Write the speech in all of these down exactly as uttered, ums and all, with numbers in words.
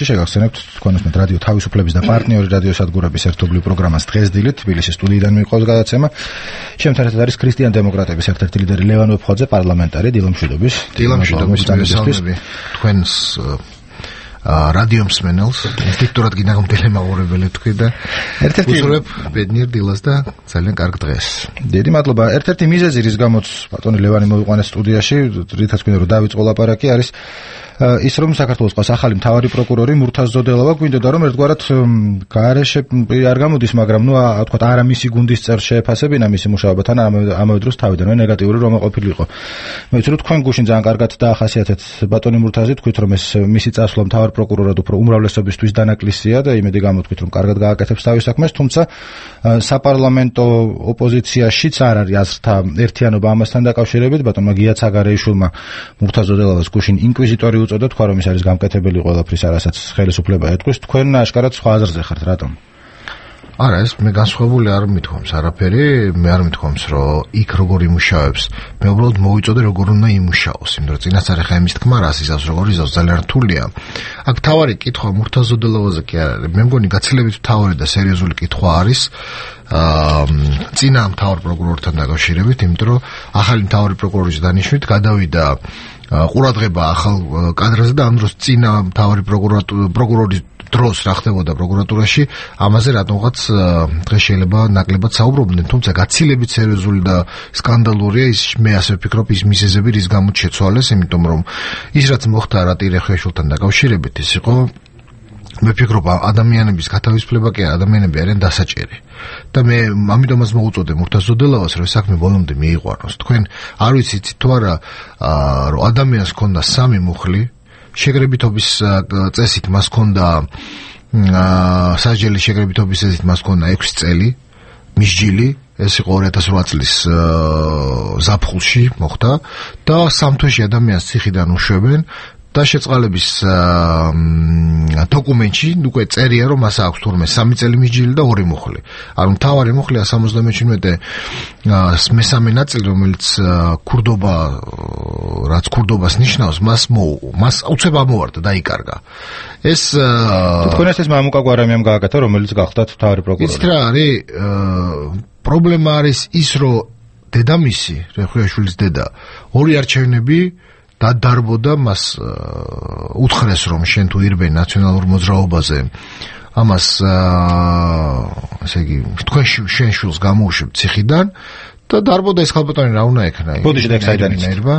შეგახსენებთ თქვენ უსმენთ რადიო თავისუფლების და პარტნიორი რადიოსადგურების ერთობლივ პროგრამას დღეს დილით თბილისის სტუდიიდან მიყვავს გადაცემა. ჩემთან ერთად არის ქრისტიან დემოკრატების ერთ-ერთი ლიდერი ლევან ვეფხვაძე, პარლამენტარი დილამშვიდობის. დილამშვიდობის მოგესალმები თქვენს რადიო მსმენელს, ინსტინქტურად გინდა გამტელემაურებელი თქვი და ერთ-ერთი უძრებ ბედნიერ დილას და ძალიან კარგ დღეს. დიდი მადლობა. ერთ-ერთი მიზეზი, რის გამოც ბატონი ლევანი მოიყვანეს სტუდიაში, რითაც გვინდა რომ დავიწყო ლაპარაკი, არის ის რომ საქართველოს ყავს ახალი მთავარი პროკურორი მურთაზ ზოდელავა, გვინდოდა რომ ერთგვარად გარეშე არ გამოდის, მაგრამ ნუ თქვათ არა მისი გუნდის წევრს შეეფასებინა მისი მუშაობა, თან ამავე დროს თავიდანვე ნეგატიური რომ ყოფილიყო. მე ვიცი რომ თქვენ გუშინ ძალიან კარგად დაახასიათეთ ბატონი მურთაზი, თქვით რომ ეს მისი წასვლა მთავარ პროკურორად უფრო უმრავლესობისთვის დანაკლისია და იმედი გამოთქვით რომ კარგად გააკეთებს თავის საქმეს, თუმცა საპარლამენტო ოპოზიციაშიც არ არის აზრთა ერთიანობა ამასთან დაკავშირებით. ბატონმა გია ცაგარეიშვილმა მურთაზ ზოდელავას გუშინ ინკვიზიტორი უწოდა, თქვა რომ ის არის გამკეთებელი ყველაფრის, არასაც ხელისუფლება ეთქვის. თქვენ აშკარად სხვა აზრზე ხართ, რატომ? არა, ეს მე განსხვავებული არ მithქვამს არაფერი, მე არ მithქვამს რომ იქ როგორ იმუშავებს, მე უბრალოდ მოვიწოდე როგორ უნდა იმუშაოს, იმიტომ რომ წინასწარ ხა იმის თქმა რას იზავს, როგორ იზავს, ძალიან რთულია. აქ თავარი კითხვა მურთაზ ზოდელავაზე კი არ არის, მე მგონი გაცილებით თავარი და სერიოზული კითხვა არის აა წინა მთავარ პროკურორთან დაკავშირებით, იმიტომ რომ ახალი მთავარი პროკურორის დანიშვნით გადავიდა ყურადღება ახალ კადრაზე და ამ დროს წინა მთავარი პროკურორის დროს რა ხდებოდა პროკურატურაში, ამაზე რატომღაც დღეს შეიძლება ნაკლებად საუბრობდნენ, თუმცა გაცილებით სერიოზული და სკანდალურია ის, მე ასე ვფიქრობ, ის მიზეზები, რის გამოც შეცვალეს, იმიტომ რომ ის რაც მოხდა რატირე ხვეშულთან დაკავშირებით, ის იყო, მე ვფიქრობ, ადამიანების გათავისუფლება კი ადამიანები არიან დასაჭერი. და მე ამიტომაც მოუწოდე მურთაზ ზოდელავას, რომ საქმე ბოლომდე მიიყვანოს. თქვენ არ ვიცით თუ არა, რომ ადამიანს ჰქონდა სამი მუხლი, შეგრებითობის წესით მას ჰქონდა სასჯელის შეგრებითობის წესით მას ჰქონდა ექვსი წელი მისჯილი, ეს იყო ორი ათას რვა წლის ზაფხულში მოხდა და სამ თვეში ადამიანს ციხიდან უშვებენ და შეწყალების დოკუმენტში უკვე წერია რომ მას აქვს თურმე სამი წელი მისჯილი და ორი მუხლი. ანუ მთავარი მუხლია სამოცდამეჩვიდმეტე მესამე ნაწილი, რომელიც ქურდობა, რაც ქურდობას ნიშნავს, მას მოუღო, მას უცებ ამოვარდა, დაიკარგა. ეს თქვენ ეს მამუკა გვარამიამ გააკეთა, რომელიც გახდათ მთავარი პროკურორი. იცით რა არის პრობლემა არის ის, რომ დედამისი, რეხვიაშვილის დედა, ორი არჩევნები და დარბოდა მას უთხრეს რომ შენ თუ ირბენ ნაციონალურ მოძრაობაზე ამას ესე იგი თქვენ შენ შულს გამოუშვებ ციხიდან და დარბოდა ეს ხალბატონი რა უნდა ექნა. ბოდიში და საიდან ირბა?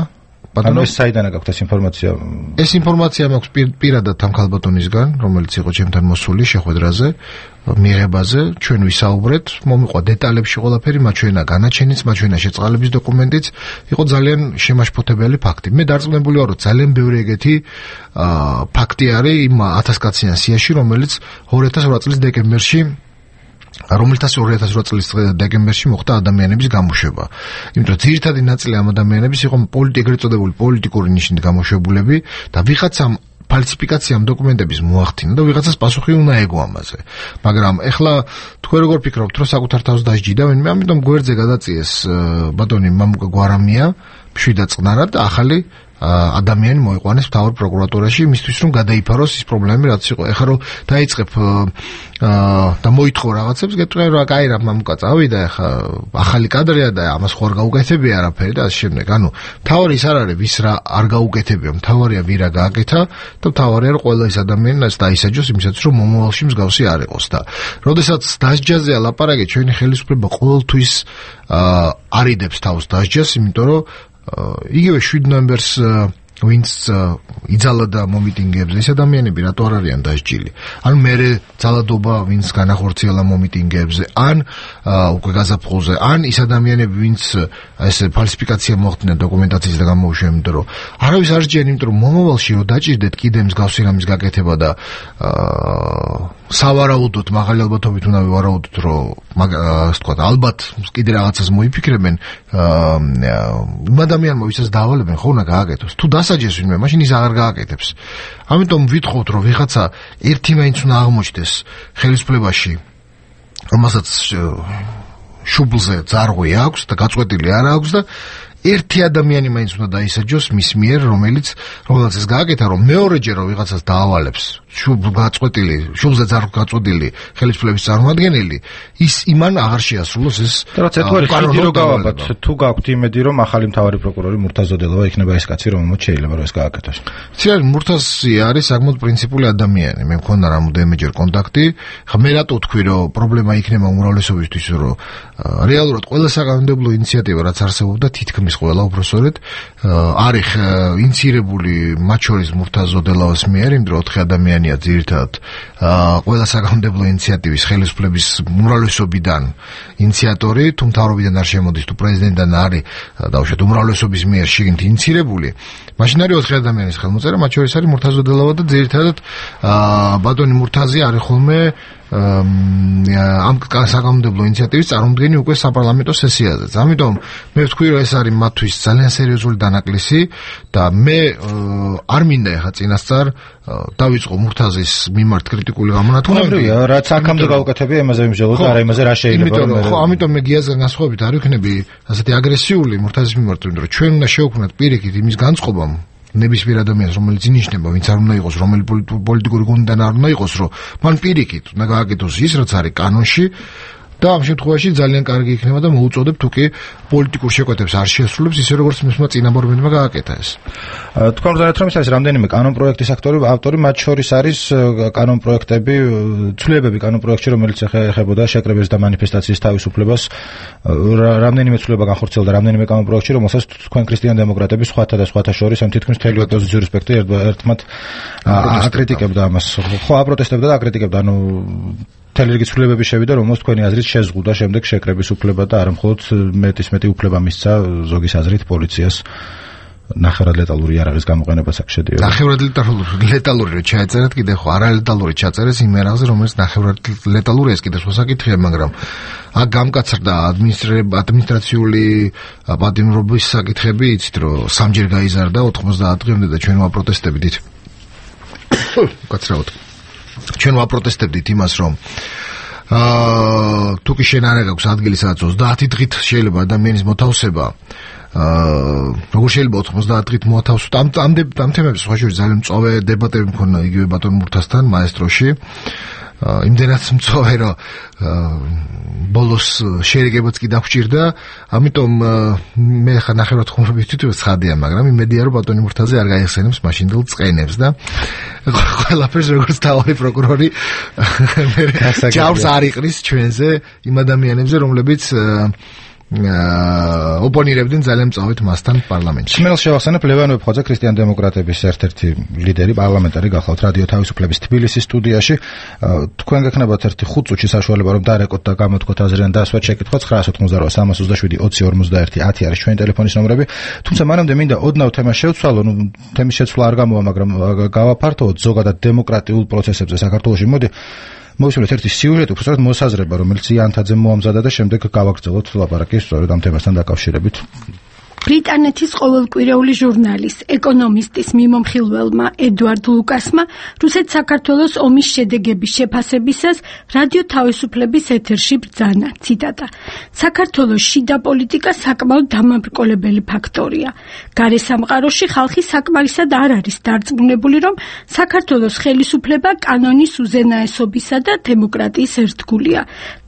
ბატონო ეს საიდან აქვს ეს ინფორმაცია? ეს ინფორმაცია მაქვს პირადად ამ ხალბატონისგან, რომელიც იყო ჩემთან მოსული შეხვედრაზე, მიღებაზე, ჩვენ ვისაუბრეთ, მომიყვა დეტალებში ყველაფერი, მაჩვენა განაჩენიც, მაჩვენა შეწყალების დოკუმენტიც, იყო ძალიან შემაშფოთებელი ფაქტი. მე დარწმუნებული ვარ, რომ ძალიან ბევრი ეგეთი ფაქტი არის იმ ათასკაციან სიაში, რომელიც ორი ათას რვა წლის დეკემბერში რომელთაც ორი ათას რვა წლის დეკემბერში მოხდა ადამიანების გამოშვება. იმიტომ რომ ძირითადი ნაწილი ამ ადამიანების იყო ეგრეთ წოდებული პოლიტიკური ნიშნით გამოშვებულები და ვიღაცამ ფალსიფიკაციამ დოკუმენტების მოახდინა და ვიღაცას პასუხი უნდა ეგო ამაზე. მაგრამ ეხლა თქვენ როგორ ფიქრობთ, რომ საკუთარ თავს დასჯიდავენ? მე ამიტომ გვერდზე გადაწიეს ბატონი მამუკა გვარამია მშვიდად წყნარად და ახალი ადამიანი მოიყვანეს მთავარ პროკურატურაში იმისთვის რომ გადაიფაროს ის პრობლემები რაც იყო. ეხლა რომ დაიწყებ და მოითხოვ რაღაცებს, გეტყვი რა კაი რა მამუკა წავიდა, ეხლა ახალი კადრია და ამას ხო არ გაუკეთებია არაფერი და ასე შემდეგ. ანუ მთავარი ის არ არის ვის რა არ გაუკეთებია, მთავარია ვინ რა გააკეთა და მთავარია რომ ყველა ის ადამიანს დაისაჯოს იმისაც რომ მომავალში მსგავსი არ იყოს. და როდესაც დასჯაზეა ლაპარაკი, ჩვენი ხელისუფლება ყოველთვის არიდებს თავს დასჯას, იმიტომ რომ იგივე შვიდ ნოემბერს ვინც იძალა და მომიტინგებზე, ეს ადამიანები რატო არ არიან დასჯილი? ან მერე ძალადობა ვინც განახორციელა მომიტინგებზე, ან უკვე გაზაფხულზე, ან ის ადამიანები ვინც ესე ფალსიფიკაცია მოხდინა დოკუმენტაციის და გამოუშვება, იმიტომ რომ არავის არ სჯიან, იმიტომ რომ მომავალში რომ დაჭირდეთ კიდე მსგავსი რამის გაკეთება და სავარაუდოდ მაღალი ალბათობით უნდა ვივარაუდოთ, რომ ასე ვთქვათ, ალბათ კიდე რაღაცას მოიფიქრებენ იმ ადამიანმა, ვისაც დაავალებენ, ხო უნდა გააკეთოს. თუ დასაჯეს ვინმე, მაშინ ის აღარ გააკეთებს. ამიტომ ვითხოვთ, რომ ვიღაცა ერთი მაინც უნდა აღმოჩნდეს ხელისუფლებაში, რომელსაც შუბლზე ძარღვი აქვს და გაწყვეტილი არ აქვს და ერთი ადამიანი მაინც უნდა დაისაჯოს მის მიერ, რომელიც რომელსაც ეს გააკეთა, რომ მეორეჯერ რომ ვიღაცას დაავალებს, შუბ გაწყვეტილი, შუბზე ძარ გაწყვეტილი ხელისუფლების წარმომადგენელი, ის იმან აღარ შეასრულოს ეს. რაც ერთგვარი ხიდი რო გავაბათ, თუ გაქვთ იმედი, რომ ახალი მთავარი პროკურორი მურთაზ ზოდელოვა იქნება ეს კაცი, რომელმაც შეიძლება რომ ეს გააკეთოს. ცირ მურთაზი არის საკმაოდ პრინციპული ადამიანი. მე მქონდა რამოდენიმეჯერ კონტაქტი. ხა მე რატო თქვი, რომ პრობლემა იქნება უმრავლესობისთვის, რომ რეალურად ყველა საკანონმდებლო ინიციატივა რაც არსებობდა თითქმის ყველა უბრალოდ არის ინიცირებული მათ შორის მურთაზ ზოდელავას მიერ, იმ დროს ოთხი ადამიანია ძირითადად ყველა საკანონმდებლო ინიციატივის ხელისუფლების უმრავლესობიდან ინიციატორი, თუ მთავრობიდან არ შემოდის, თუ პრეზიდენტიდან არის დაუშვათ უმრავლესობის მიერ შიგნით ინიცირებული. მაშინ არის ოთხი ადამიანის ხელმოწერა, მათ შორის არის მურთაზ ზოდელავა და ძირითადად ბატონი მურთაზი არის ხოლმე ამ საკანონმდებლო ინიციატივის წარმომადგენელი უკვე საპარლამენტო სესიაზე. ამიტომ მე ვთქვი, რომ ეს არის მათთვის ძალიან სერიოზული დანაკლისი და მე არ მინდა ეხა წინასწარ დავიწყო მურთაზის მიმართ კრიტიკული გამონათქვამები. რაც აქამდე გავუკეთებია, იმაზე ვიმსჯელოთ და არა იმაზე რა შეიძლება. ხო, ამიტომ მე გიაზრ განსხვავებით არ ვიქნები ასეთი აგრესიული მურთაზის მიმართ, რომ ჩვენ უნდა შევქმნათ პირიქით იმის განწყობამ ნებისმიერ ადამიანს, რომელიც ინიშნება, ვინც არ უნდა იყოს, რომელი პოლიტიკური გუნდიდან არ უნდა იყოს, რომ მან პირიქით უნდა გააკეთოს ის, რაც არის კანონში და ამ შემთხვევაში ძალიან კარგი იქნება და მოუწოდებ თუ კი პოლიტიკურ შეკვეთებს არ შეასრულებს ისე როგორც მისმა წინამორბედმა გააკეთა ეს. თქვენ გძანეთ რომ ის არის რამდენიმე კანონპროექტის ავტორი, ავტორი მათ შორის არის კანონპროექტები, ცვლილებები კანონპროექტში, რომელიც ეხებოდა შეკრებების და მანიფესტაციის თავისუფლებას, რამდენიმე ცვლილება განხორციელდა რამდენიმე კანონპროექტში, რომელსაც თქვენ ქრისტიან დემოკრატები სხვათა და სხვათა შორის ამ თითქმის მთელი ოპოზიციური სპექტრი ერთმანეთ აკრიტიკებდა ამას. ხო, აპროტესტებდა და აკრიტიკებდა, ანუ მთელი რიგი ცვლილებები შევიდა, რომელსაც თქვენი აზრით შეზღუდა შემდეგ შეკრების უფლება და არა მხოლოდ მეტის მეტი უფლება მისცა ზოგის აზრით პოლიციას ნახევრად ლეტალური იარაღის გამოყენებას აქ შედიოდა. ნახევრად ლეტალური რო ჩაეწერეთ კიდე ხო არა ლეტალური ჩაწერეს იმ იარაღზე, რომელიც ნახევრად ლეტალური ეს კიდე სხვა საკითხია, მაგრამ აქ გამკაცრდა ადმინისტრაციული პატიმრობის საკითხები, იცით რომ სამჯერ გაიზარდა ოთხმოცდაათ დღემდე და ჩვენ ვაპროტესტებდით. კაცრავად ჩვენ ვაპროტესტებდით იმას, რომ აა თუ კი შენ არ აქვს ადგილი სადაც ოცდაათი დღით შეიძლება ადამიანის მოთავსება, აა როგორ შეიძლება ოთხმოცდაათ დღით მოთავსოთ? ამ ამ ამ თემებზე სხვა შორის ძალიან მწვავე დებატები მქონდა იგივე ბატონ მურთაზთან მაესტროში. იმდენად მწვავე, რომ ბოლოს შერიგებაც კი დაგვჭირდა, ამიტომ მე ხა ნახევრად ხუმრობი თვითონ ცხადია, მაგრამ იმედია რომ ბატონი მურთაზე არ გაიხსენებს მაშინდელ წყენებს და ყველაფერს როგორც თავი პროკურორი ჯავს არ იყრის ჩვენზე იმ ადამიანებზე, რომლებიც ოპონირებდნენ ძალიან მწავედ მასთან პარლამენტში. მე შევახსენებ ლევან ვეფხვაძე, ქრისტიან დემოკრატების ერთ-ერთი ლიდერი, პარლამენტარი გახლავთ რადიო თავისუფლების თბილისის სტუდიაში. თქვენ გექნებათ ერთი ხუთ წუთში საშუალება რომ დარეკოთ და გამოთქვათ აზრი ან დაასვათ შეკითხვა ცხრაას ოცდაოთხ სამას ოცდაშვიდი ოცი ორმოცდაერთი ათი არის ჩვენი ტელეფონის ნომრები. თუმცა მანამდე მინდა ოდნავ თემას შევცვალო, ნუ თემის შეცვლა არ გამოვა, მაგრამ გავაფართოვოთ ზოგადად დემოკრატიულ პროცესებზე საქართველოში. მოდი მოვისმინოთ ერთი სიუჟეტი, უბრალოდ მოსაზრება, რომელიც იანთაძემ მოამზადა და შემდეგ გავაგრძელოთ ლაპარაკი სწორედ ამ თემასთან დაკავშირებით. ბრიტანეთის ყოველკვირეული ჟურნალის ეკონომისტის მიმომხილველმა ედვარდ ლუკასმა რუსეთ-საქართველოს ომის შედეგების შეფასებისას რადიო თავისუფლების ეთერში ბრძანა. ციტატა: საქართველოს შიდა პოლიტიკა საკმაოდ დამაბრკოლებელი ფაქტორია. გარესამყაროში ხალხი საკმარისად არ არის დარწმუნებული, რომ საქართველოს ხელისუფლება კანონის უზენაესობისა და დემოკრატიის ერთგულია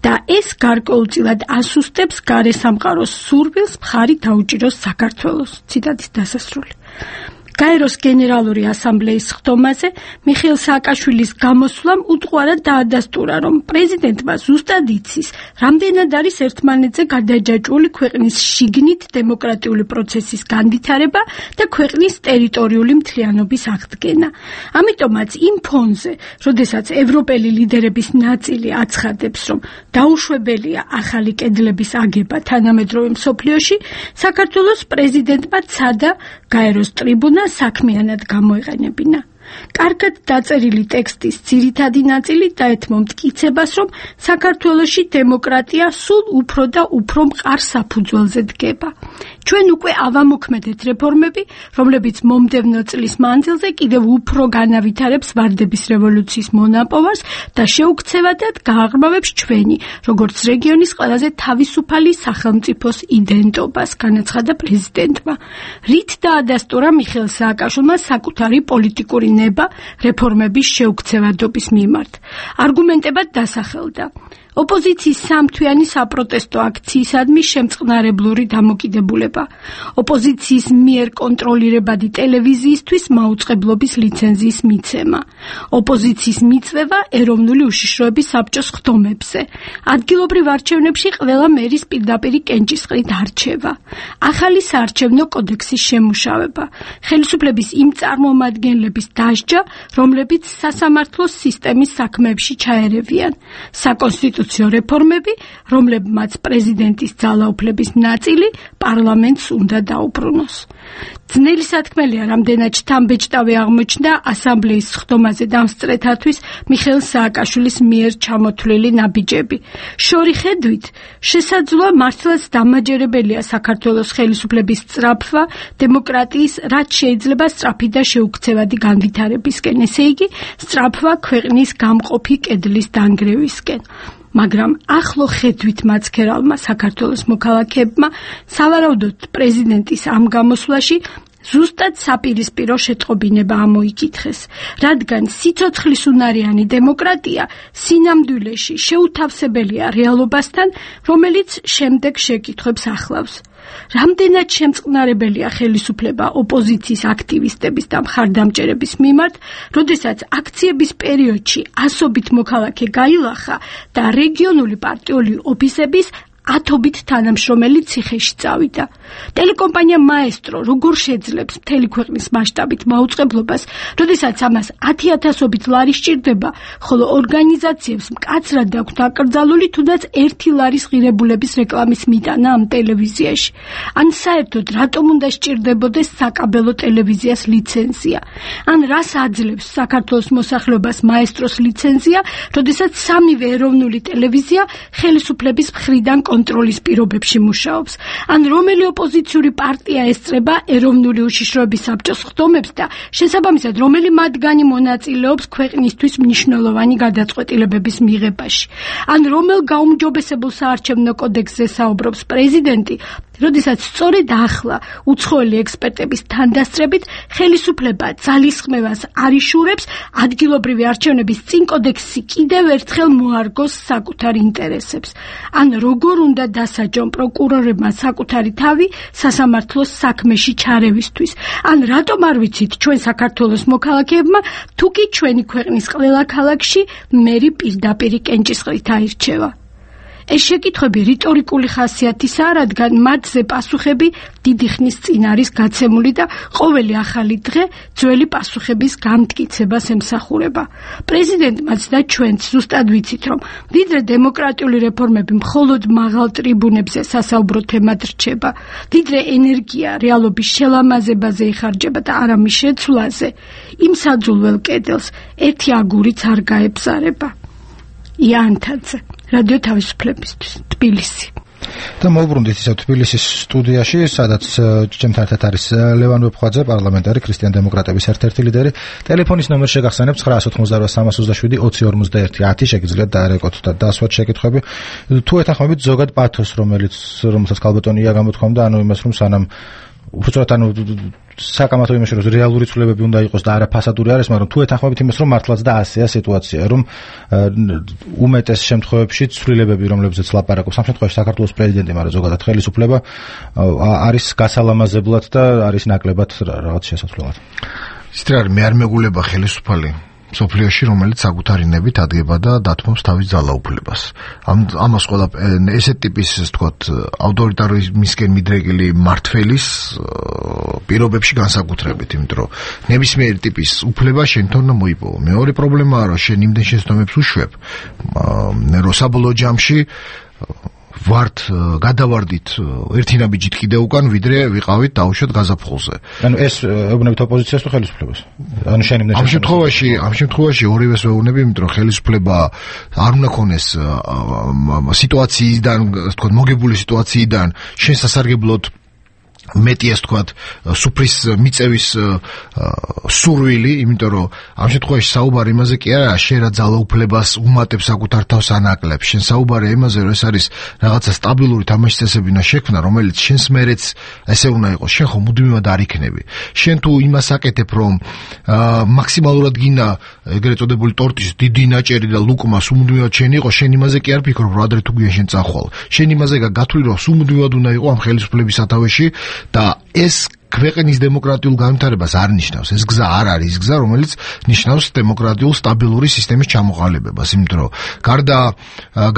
და ეს გარკვეულწილად ასუსტებს გარესამყაროს სურვილს მხარი დაუჭიროს საქართველოს. ციტატის დასასრული. გაეროს გენერალური ასამბლეის ხდომაზე მიხეილ სააკაშვილის გამოსვლამ უტყუარად დაადასტურა, რომ პრეზიდენტმა ზუსტად იცის, რამდენად არის ერთმანეთზე გადაჯაჭვული ქვეყნის შიგნით დემოკრატიული პროცესის განვითარება და ქვეყნის ტერიტორიული მთლიანობის აღდგენა. ამიტომაც იმ ფონზე, როდესაც ევროპელი ლიდერების ნაწილი აცხადებს, რომ დაუშვებელია ახალი კედლების აგება თანამედროვე მსოფლიოში, საქართველოს პრეზიდენტმა ცადა გაეროს ტრიბუნა საქმიანად გამოეყენებინა. კარგად დაწერილი ტექსტის ძირითადი ნაწილი დაეთმო მტკიცებას, რომ საქართველოში დემოკრატია სულ უფრო და უფრო მყარ საფუძველზე დგება. ჩვენ უკვე ავამოქმედეთ რეფორმები, რომლებიც მომდევნო წლის მანძილზე კიდევ უფრო განავითარებს ვარდების რევოლუციის მონაპოვარს და შეუქცევადად გააღრმავებს ჩვენი, როგორც რეგიონის ყველაზე თავისუფალი სახელმწიფოს იდენტობას, განაცხადა პრეზიდენტმა. რით დაადასტურა მიხეილ სააკაშვილმა საკუთარი პოლიტიკური ნება რეფორმების შეუქცევადობის მიმართ. არგუმენტებად დასახელდა. ოპოზიციის სამთვიანი საპროტესტო აქციისადმი შემწყნარებლური დამოკიდებულება, ოპოზიციის მიერ კონტროლირებადი ტელევიზიისთვის მაუწყებლობის ლიცენზიის მიცემა, ოპოზიციის მიწვევა ეროვნული უშიშროების საბჭოს ხდომებზე, ადგილობრივ არჩევნებში ყველა მერის პირდაპირი კენჭისყრით არჩევა, ახალი საარჩევნო კოდექსის შემუშავება, ხელისუფლების იმ წარმომადგენლების დასჯა, რომლებიც სასამართლოს სისტემის საქმეებში ჩაერევიან, საკონსტიტუციო რეფორმები, რომლებმაც პრეზიდენტის ძალაუფლების ნაწილი პარლამენტს უნდა დაუბრუნოს. ძნელი სათქმელია, რამდენად შთამბეჭდავი აღმოჩნდა ასამბლეის ხდომაზე დამსწრეთათვის მიხეილ სააკაშვილის მიერ ჩამოთვლილი ნაბიჯები. შორი ხედვით, შესაძლოა მართლაც დამაჯერებელია საქართველოს ხელისუფლების სწრაფვა დემოკრატიის რაც შეიძლება სწრაფი და შეუქცევადი განვითარებისკენ, ესე იგი, სწრაფვა ქვეყნის გამყოფი კედლის დანგრევისკენ. მაგრამ ახლო ხედვით მაცქერალმა საქართველოს მოქალაქეებმა სავარაუდოდ პრეზიდენტის ამ გამოსვლაში ზუსტად საპირისპირო შეტყობინება ამოიკითხეს, რადგან სიცოცხლისუნარიანი დემოკრატია სინამდვილეში შეუთავსებელია რეალობასთან, რომელიც შემდეგ შეკითხვებს ახლავს. რამდენად შემწყნარებელია ხელისუფლება ოპოზიციის აქტივისტების და მხარდამჭერების მიმართ, როდესაც აქციების პერიოდში ასობით მოქალაქე გაილახა და რეგიონული პარტიული ოფისების ათობით თანამშრომელი ციხეში წავიდა. ტელეკომპანია მაესტრო როგორ შეძლებს მთელი ქვეყნის მასშტაბით მაუწყებლობას, როდესაც ამას ათი ათასობით ლარი სჭირდება, ხოლო ორგანიზაციებს მკაცრად აქვთ აკრძალული თუნდაც ერთი ლარის ღირებულების რეკლამის მიტანა ამ ტელევიზიაში. ან საერთოდ რატომ უნდა სჭირდებოდეს საკაბელო ტელევიზიას ლიცენზია? ან რას აძლევს საქართველოს მოსახლეობას მაესტროს ლიცენზია, როდესაც სამივე ეროვნული ტელევიზია ხელისუფლების მხრიდან კონტროლის პირობებში მუშაობს? ან რომელი ოპოზიციური პარტია ესწრება ეროვნული უშიშროების საბჭოს ხდომებს და შესაბამისად რომელი მათგანი მონაწილეობს ქვეყნისთვის მნიშვნელოვანი გადაწყვეტილებების მიღებაში? ან რომელ გაუმჯობესებულ საარჩევნო კოდექსზე საუბრობს პრეზიდენტი, როდესაც სწორედ ახლა უცხოელი ექსპერტების თანდასწრებით ხელისუფლება ძალისხმევას არ იშურებს ადგილობრივი არჩევნების წინ კოდექსი კიდევ ერთხელ მოარგოს საკუთარ ინტერესებს? ან როგორ უნდა დასაჯონ პროკურორებმა საკუთარი თავი სასამართლოს საქმეში ჩარევისთვის? ან რატომ არ ვიცით ჩვენ საქართველოს მოქალაქეებმა, თუ კი ჩვენი ქვეყნის ყველა ქალაქში მერი პირდაპირი კენჭისყრით აირჩევა? ეს შეკითხვები რიტორიკული ხასიათისაა, რადგან მათზე პასუხები დიდი ხნის წინ არის გაცემული და ყოველი ახალი დღე ძველი პასუხების გამტკიცებას ემსახურება. პრეზიდენტმაც და ჩვენც ზუსტად ვიცით, რომ ვიდრე დემოკრატიული რეფორმები მხოლოდ მაღალ ტრიბუნებზე სასაუბრო თემად რჩება, ვიდრე ენერგია რეალობის შელამაზებაზე იხარჯება და არა მის შეცვლაზე, იმ საძულველ კედელს ერთი აგურიც არ გაებზარება. იანთაძე, რადიო თავისუფლებისთვის, თბილისი. და მოვბრუნდით ისევ თბილისის სტუდიაში, სადაც ჩემთან ერთად არის ლევან ვეფხვაძე, პარლამენტარი, ქრისტიან-დემოკრატების ერთ-ერთი ლიდერი. ტელეფონის ნომერი შეგახსენებთ ცხრა ოცდაოთხმოცდარვა სამასოცდაშვიდი ოცი ორმოცდაერთი ათი, შეგიძლიათ დაარეკოთ და დასვათ შეკითხვები. თუ ეთანხმებით ზოგად პათოს, რომელიც რომელსაც ქალბატონია გამოთქვამდა, ანუ იმას, რომ სანამ უბრალოდ ანუ საკამათო იმაში, რომ რეალური ცვლილებები უნდა იყოს და არა ფასადური არის, მაგრამ თუ ეთანხმებით იმას, რომ მართლაც და ასეა სიტუაცია, რომ უმეტეს შემთხვევებში ცვლილებები, რომლებზეც ლაპარაკობს, ამ შემთხვევაში საქართველოს პრეზიდენტი, მაგრამ ზოგადად ხელისუფლება არის გასალამაზებლად და არის ნაკლებად რაღაც შესაძლებლად. ისეთ რა მე არ მეგულება ხელისუფალი სოფლიოში, რომელიც საკუთარი ნებით ადგება და დათმობს თავის ძალაუფლებას. ამ ამას ყველა ესეთ ტიპის, ასე ვთქვათ, ავტორიტარიზმისკენ მიდრეკილი მართველის პირობებში განსაკუთრებით, იმიტომ რომ ნებისმიერი ტიპის უფლება შენ თორ უნდა მოიპოვო. მეორე პრობლემაა, რომ შენ იმდენ შეცდომებს უშვებ, რომ საბოლოო ჯამში ვართ გადავარდით ერთი ნაბიჯით კიდე უკან, ვიდრე ვიყავით დაუშვათ გაზაფხულზე. ანუ ეს ეუბნებით ოპოზიციას თუ ხელისუფლებას? ანუ შენ იმდენ ამ შემთხვევაში, ამ შემთხვევაში ორივეს ვეუბნები, იმიტომ რომ ხელისუფლება არ უნდა ქონდეს სიტუაციიდან, ასე ვთქვათ, მოგებული სიტუაციიდან შენ სასარგებლოდ მეტი ეს თქვათ სუფრის მიწევის სურვილი, იმიტომ რომ ამ შემთხვევაში საუბარი იმაზე კი არა, შენ რა ძალაუფლებას უმატებს საკუთარ თავს ანაკლებს. შენ საუბარი იმაზე, რომ ეს არის რაღაცა სტაბილური თამაშის წესები უნდა შექმნა, რომელიც შენს მერეც ესე უნდა იყოს. შენ ხო მუდმივად არ იქნები. შენ თუ იმას აკეთებ, რომ მაქსიმალურად გინდა ეგრეთ წოდებული ტორტის დიდი ნაჭერი და ლუკმა სუმუდმივად შენ იყო, შენ იმაზე კი არ ფიქრობ, რომ ადრე თუ გვიან შენ წახვალ. შენ იმაზე გათვლი, რომ სუმუდმივად უნდა იყო ამ ხელისუფლების სათავეში და ეს ქვეყნის დემოკრატიულ განვითარებას არ ნიშნავს. ეს გზა არ არის ის გზა, რომელიც ნიშნავს დემოკრატიულ სტაბილური სისტემის ჩამოყალიბებას, იმიტომ რომ გარდა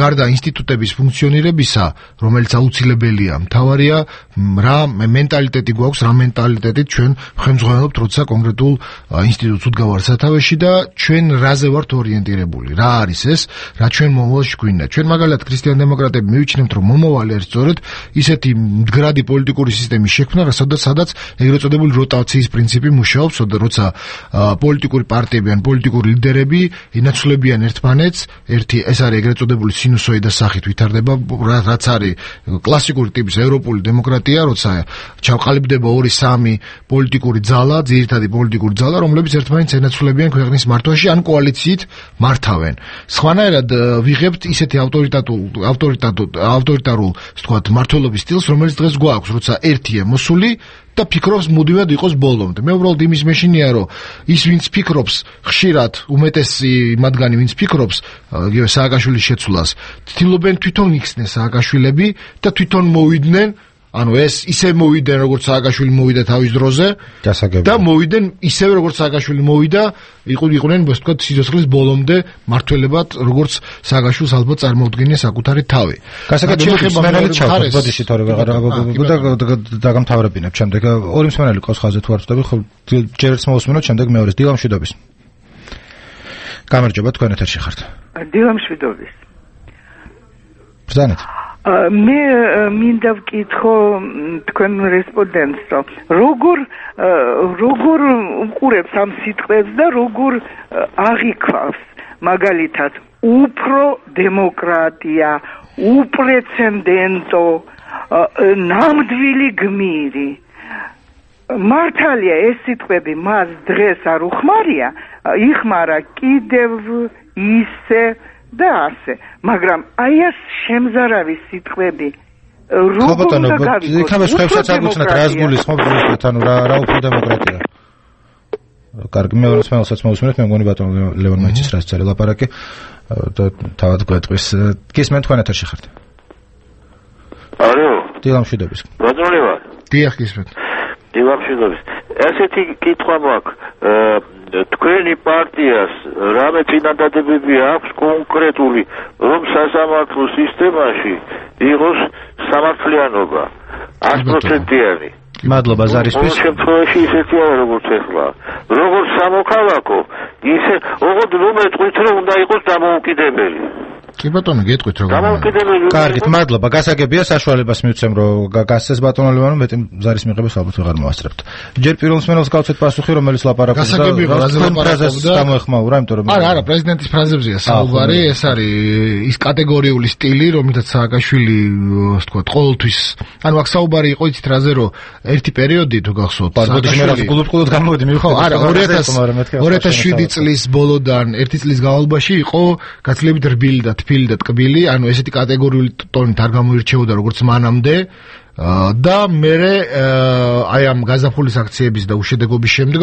გარდა ინსტიტუტების ფუნქციონირებისა, რომელიც აუცილებელია, მთავარია რა მენტალიტეტი გვაქვს, რა მენტალიტეტით ჩვენ ხელმძღვანელობთ, როცა კონკრეტულ ინსტიტუტს უდგავართ სათავეში და ჩვენ რაზე ვართ ორიენტირებული. რა არის ეს, რა ჩვენ მომავალში გვინდა. ჩვენ მაგალითად ქრისტიან დემოკრატები მივიჩნევთ, რომ მომავალი არის სწორედ ისეთი მდგრადი პოლიტიკური სისტემის შექმნა, სადაც სადაც ეგრეთ წოდებული როტაციის პრინციპი მუშაობს, როცა პოლიტიკური პარტიები ან პოლიტიკური ლიდერები ინაცვლებიან ერთმანეთს, ერთი ეს არის ეგრეთ წოდებული სინუსოიდას სახით ვითარდება, რაც არის კლასიკური ტიპის ევროპული დემოკრატია, როცა ჩავყალიბდება ორი სამი პოლიტიკური ძალა, ძირითადი პოლიტიკური ძალა, რომლებიც ერთმანეთს ენაცვლებიან ქვეყნის მართვაში ან კოალიციით მართავენ. სხვანაირად ვიღებთ ისეთი ავტორიტატულ ავტორიტატულ ავტორიტარულ, ვთქვათ, მართლობის სტილს, რომელიც დღეს გვაქვს, როცა ერთია მოსული და ფიქრობს მუდმივად იყოს ბოლომდე. მე უბრალოდ იმის მეშინია, რომ ის ვინც ფიქრობს, ხშირად უმეტესი მათგანი ვინც ფიქრობს იგივე სააკაშვილის შეცვლას, ცდილობენ თვითონ იქცნენ სააკაშვილები და თვითონ მოვიდნენ, ანუ ეს ისე მოვიდნენ, როგორც სააკაშვილი მოვიდა თავის დროზე და მოვიდნენ ისევე, როგორც სააკაშვილი მოვიდა, იყვნენ, ასე ვთქვათ, სიცოცხლის ბოლომდე მართველებად, როგორც სააკაშვილს ალბათ წარმოუდგენია საკუთარი თავი. გასაგებია ჩავხოთ, ბოდიში თორე დაგამთავრებინებ შემდეგ. ორი მსმენელი ყავს ხაზზე თუ არ ვწდები, ხო ჯერ ერთს მოვუსმინოთ, შემდეგ მეორეს. დილა მშვიდობის. გამარჯობა, თქვენ ეთერში ხართ. დილა მშვიდობის. ბრძანეთ. მე მინდა ვკითხო თქვენ რესპონდენტს, რომ როგორ როგორ უყურებს ამ სიტყვებს და როგორ აღიქვავს მაგალითად უფრო დემოკრატია, უპრეცედენტო, ნამდვილი გმირი. მართალია ეს სიტყვები მას დღეს არ უხმარია, იხმარა კიდევ ისე და ასე, მაგრამ აი ეს შემზარავი სიტყვები როგორ უნდა გავიგოთ? იქნება სხვაებსაც აგვიცნათ რა გულისხმობ ზუსტად, ანუ რა რა უფრო დემოკრატია. კარგი, მეორე სპეციალსაც მოვუსმინეთ, მე მგონი ბატონო ლევან მაიცის რაც წერა ლაპარაკი და თავად გვეტყვის. გისმენთ, თქვენ ეთერში ხართ. ალო. დილა მშვიდობის. ბატონო ლევან. დიახ, გისმენთ. დილა მშვიდობის. ესეთი კითხვა მაქვს, თქვენი პარტიას რამე წინადადებები აქვს კონკრეტული, რომ სასამართლო სისტემაში იყოს სამართლიანობა ათი პროცენტიანი. მადლობა ზარისთვის. ამ შემთხვევაში ისეთი არა, როგორც ეხლა. როგორც სამოქალაქო, ისე ოღონდ რომ ეტყვით, რომ უნდა იყოს დამოუკიდებელი. კი ბატონო, გეტყვით როგორ. კარგით, მადლობა. გასაგებია, საშუალებას მივცემ, რომ გასცეს ბატონო ლევანო, მეტი ზარის მიღებას ალბათ ვეღარ მოასწრებთ. ჯერ პირველ მსმენელს გავცეთ პასუხი, რომელიც ლაპარაკობდა. გასაგებია, რაზე ლაპარაკობდა? გამოეხმაურა, იმიტომ რომ არა, არა, პრეზიდენტის ფრაზებზეა საუბარი, ეს არის ის კატეგორიული სტილი, რომელთაც სააკაშვილი, ასე ვთქვათ, ყოველთვის, ანუ აქ საუბარი იყო იცით რაზე, რომ ერთი პერიოდი თუ გახსოვთ, სააკაშვილი გულუბ-გულუბ გამოვიდი, მივხვდი. ხო, არა, ორი ათას შვიდი წლის ბოლოდან ერთი წლის განმავლობაში იყო გაცილებით რბილი და თბილი და ტკბილი, ანუ ესეთი კატეგორიული ტონით არ გამოირჩეოდა როგორც მანამდე და მე აი ამ გაზაფხულის აქციების და უშედეგობის შემდეგ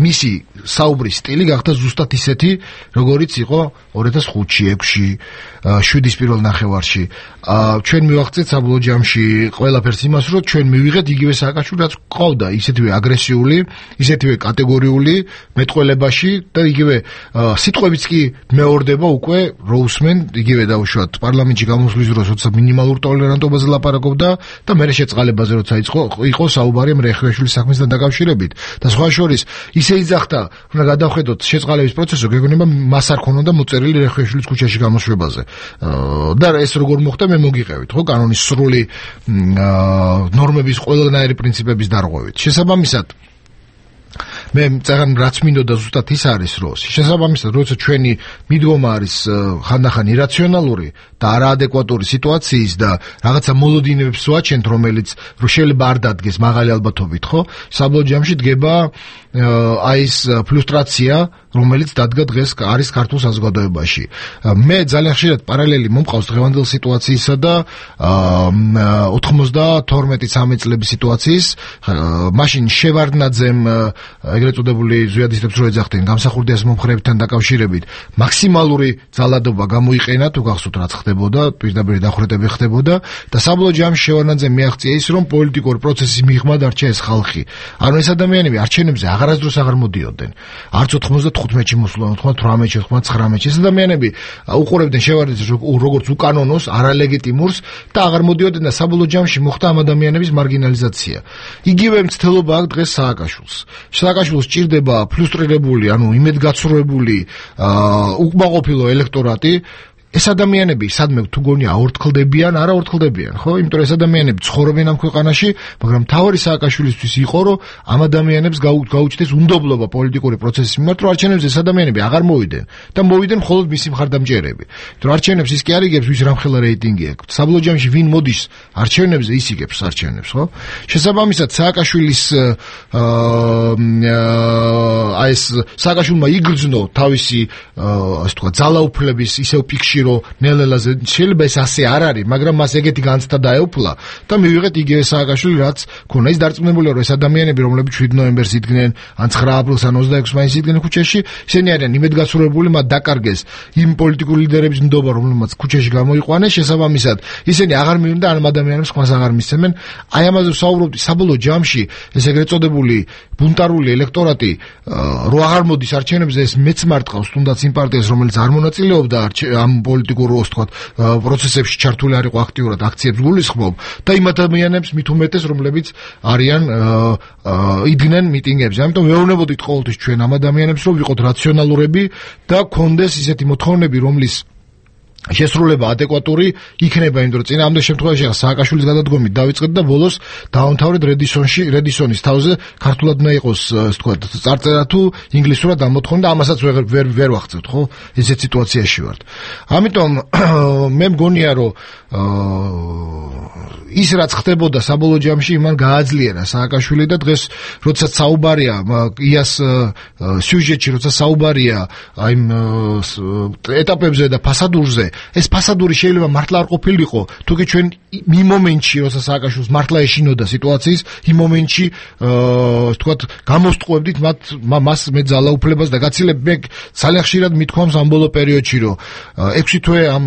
მისი საუბრის სტილი გახდა ზუსტად ისეთი, როგორიც იყო ორი ათას ხუთში, ექვსში, შვიდის პირველ ნახევარში. ჩვენ მივაღწევთ საბოლოო ჯამში ყველაფერს იმას, რომ ჩვენ მივიღეთ იგივე სააკაშვილი, რაც ყავდა, ისეთივე აგრესიული, ისეთივე კატეგორიული მეტყველებაში და იგივე სიტყვებიც კი მეორდება უკვე როუსმენ, იგივე დაუშვათ პარლამენტში გამოსვლის დროს, როცა მინიმალურ ტოლერანტობაზე ლაპარაკობდა და მე შეწყალებაზე როცა იყო იყო საუბარი რეხუაშვილის საქმესთან დაკავშირებით და სხვა შორის ისე იძახდა, უნდა გადავხედოთ შეწყალების პროცესს, გეგონება მას არ ქონოდა მოწერილი რეხუაშვილის ქუჩაში გამოსვლებაზე. და ეს როგორ მოხდა, მე მოგიყევით, ხო, კანონის სრული ნორმების ყველანაირი პრინციპების დარღვევით. შესაბამისად მე წაღან რაც მინდოდა ზუსტად ის არის, რომ შესაბამისად, როცა ჩვენი მიდგომა არის ხანდახან ირაციონალური და არაადეკვატური სიტუაციის და რაღაცა მოლოდინებს ვაჩენთ, რომელიც შეიძლება არ დადგეს მაღალი ალბათობით, ხო? საბოლოო ჯამში დგება აი ეს ფლუსტრაცია, რომელიც დადგა დღეს არის ქართულ საზოგადოებაში. მე ძალიან ხშირად პარალელი მომყავს დღევანდელ სიტუაციისა და ოთხმოცდათორმეტი ცხრამეტი წლების სიტუაციის. მაშინ შევარდნაძემ ეგრეთ წოდებული ზვიადისტებს რო ეძახდნენ გამსახურდიას მომხრეებთან დაკავშირებით მაქსიმალური ძალადობა გამოიყენა, თუ გახსოვთ რაც ხდებოდა, პირდაპირ დახვრეტები ხდებოდა და საბოლოო ჯამში შევარდნაძემ მიაღწია ის, რომ პოლიტიკური პროცესის მიღმა დარჩა ეს ხალხი. ანუ ეს ადამიანები არჩევნებზე აღარასდროს აღარ მოდიოდნენ. არც ოთხმოცდათოთხმეტში მოსულა, ოთხმოცდათვრამეტში, ოთხმოცდათხრამეტში. ეს ადამიანები უყურებდნენ შევარდნაძეს როგორც უკანონოს, არალეგიტიმურს და აღარ მოდიოდნენ და საბოლოო ჯამში მოხდა ამ ადამიანების მარგინალიზაცია. იგივე მცდელობა აქვს დღეს სააკაშვილს. სააკაშვილს სჭირდება ფლუსტრირებული, ანუ იმედგაცრუებული, უკმაყოფილო ელექტორატი. ეს ადამიანები სადმე თუ გონია აორთქლდებიან, არა აორთქლდებიან, ხო? იმიტომ რომ ეს ადამიანები ცხოვრობენ ამ ქვეყანაში, მაგრამ თავარი სააკაშვილისთვის იყო, რომ ამ ადამიანებს გაუჩნდეს უნდობლობა პოლიტიკური პროცესის მიმართ, რომ არჩევნებზე ეს ადამიანები აღარ მოვიდნენ და მოვიდნენ მხოლოდ მისი მხარდამჭერები. იმიტომ რომ არჩევნებს ის კი არ იგებს, ვის რამხელა რეიტინგი აქვს. საბოლოო ჯამში ვინ მოდის არჩევნებზე, ის იგებს არჩევნებს, ხო? შესაბამისად, სააკაშვილის აი ეს სააკაშვილმა იგრძნო თავისი ასე თქვა ძალაუფლების ისევ პიკში რომ ნელ-ნელაზე შეიძლება ეს ასე არ არის, მაგრამ მას ეგეთი განცდა დაეუფლა და მივიღეთ იგივე სააკაშვილი, რაც ქონა. ის დარწმუნებულია, რომ ეს ადამიანები, რომლებიც შვიდ ნოემბერს იდგნენ, ან ცხრა აპრილს, ან ოცდაექვსს მაისს იდგნენ ქუჩაში, ისინი არიან იმედგაცრუებული, მათ დაკარგეს იმ პოლიტიკური ლიდერების ნდობა, რომლებმაც ქუჩაში გამოიყვანეს, შესაბამისად, ისინი აღარ მივიდნენ და ამ ადამიანებს ხმას აღარ მისცემენ. აი ამაზე ვსაუბრობდი, საბოლოო ჯამში ეს ეგრეთ წოდებული ბუნტარული ელექტორატი რო აღარ მოდის არჩევნებზე, ეს მეც მარტყავს თუნდაც იმ პარტიას, რომელიც არ მონაწილეობდა ამ პოლიტიკურ ვთქვათ პროცესებში ჩართული არ იყო აქტიურად, აქციებს გულისხმობ და იმ ადამიანებს მით უმეტეს, რომლებიც არიან იდგნენ მიტინგებზე. ამიტომ ვეუბნებოდით ყოველთვის ჩვენ ამ ადამიანებს, რომ ვიყოთ რაციონალურები და გქონდეს ისეთი მოთხოვნები, რომლის შესრულება ადეკვატური იქნება, იმიტომ რომ წინააღმდეგ შემთხვევაში სააკაშვილის გადადგომით დავიწყეთ და ბოლოს დავამთავრეთ რედისონში, რედისონის თავზე ქართულად უნდა იყოს, ასე ვთქვათ, წარწერა თუ ინგლისურად ამოთხოვნი და ამასაც ვერ ვერ ვერ ვახცევთ, ხო? ესეთ სიტუაციაში ვართ. ამიტომ მე მგონია, რომ ის რაც ხდებოდა საბოლოო ჯამში იმან გააძლიერა სააკაშვილი და დღეს როდესაც საუბარია იას სიუჟეტში, როცა საუბარია აი ეტაპებზე და ფასადურზე, ეს ფასადური შეიძლება მართლა არ ყოფილიყო, თუკი ჩვენ იმ მომენტში, როცა სააკაშვილს მართლა ეშინოდა სიტუაციის, იმ მომენტში ასე ვთქვათ, გამოსტყუებდით მათ მას მე ძალაუფლებას და გაცილებ მე ძალიან ხშირად მithქვამს ამ ბოლო პერიოდში, რომ ექვსი თვე ამ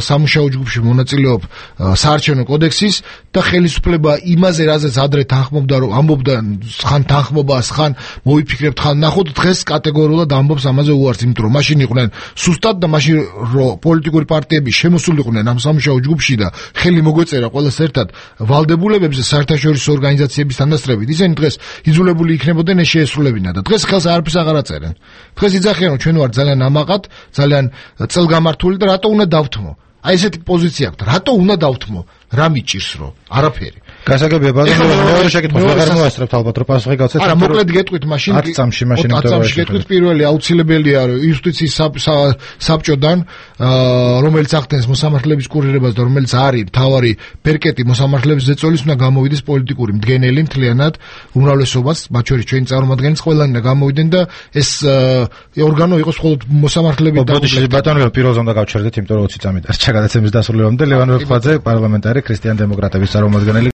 სამუშაო ჯგუფში მონაწილეობ საარჩევნო კოდექსის და ხელისუფლება იმაზე, რაზეც ადრე თანხმობდა, რომ ამბობდა ხან თანხმობას, ხან მოვიფიქრებთ, ხან ნახოთ, დღეს კატეგორიულად ამბობს ამაზე უარს, იმიტომ რომ მაშინ იყვნენ სუსტად და მაშინ რომ პოლიტიკური პარტიები შემოსულიყვნენ ამ სამუშაო ჯგუფში და ხელი მოგვეწერა ყველას ერთად ვალდებულებებზე საერთაშორისო ორგანიზაციების თანასწრებით, ისინი დღეს იძულებული იქნებოდნენ ეს შეესრულებინა და დღეს ხელს არაფერს აღარ აწერენ. დღეს იძახიან, რომ ჩვენ ვართ ძალიან ამაყად, ძალიან წელგამართული და რატო უნდა დავთმო? აი ესეთი პოზიცია აქვს. რატო უნდა დავთმო? რა მიჭირს რომ? არაფერი. გასაგებია, ბატონო, მეორე შეკითხვა აღარ მოასწრებთ ალბათ, რომ პასუხი გავცეთ. არა, მოკლედ გეტყვით, მაშინ ათ წამში მაშინ ათ წამში გეტყვით, პირველი აუცილებელია, რომ იუსტიციის საბჭოდან, რომელიც ახდენს მოსამართლეების კურირებას და რომელიც არის მთავარი ბერკეტი მოსამართლეების ზეწოლის, უნდა გამოვიდეს პოლიტიკური მდგენელი მთლიანად, უმრავლესობას, მათ შორის ჩვენი წარმომადგენლიც ყველანი უნდა გამოვიდნენ და ეს ორგანო იყოს მხოლოდ მოსამართლეებით და ბატონო, პირველზე უნდა გავჩერდეთ, იმიტომ რომ ოცი წამი დასჭა გადაცემის დასრულებამდე. ლევან ვერცხლაძე, პარლამენტარი ქრისტიან დემოკრატების წარმომადგენელი.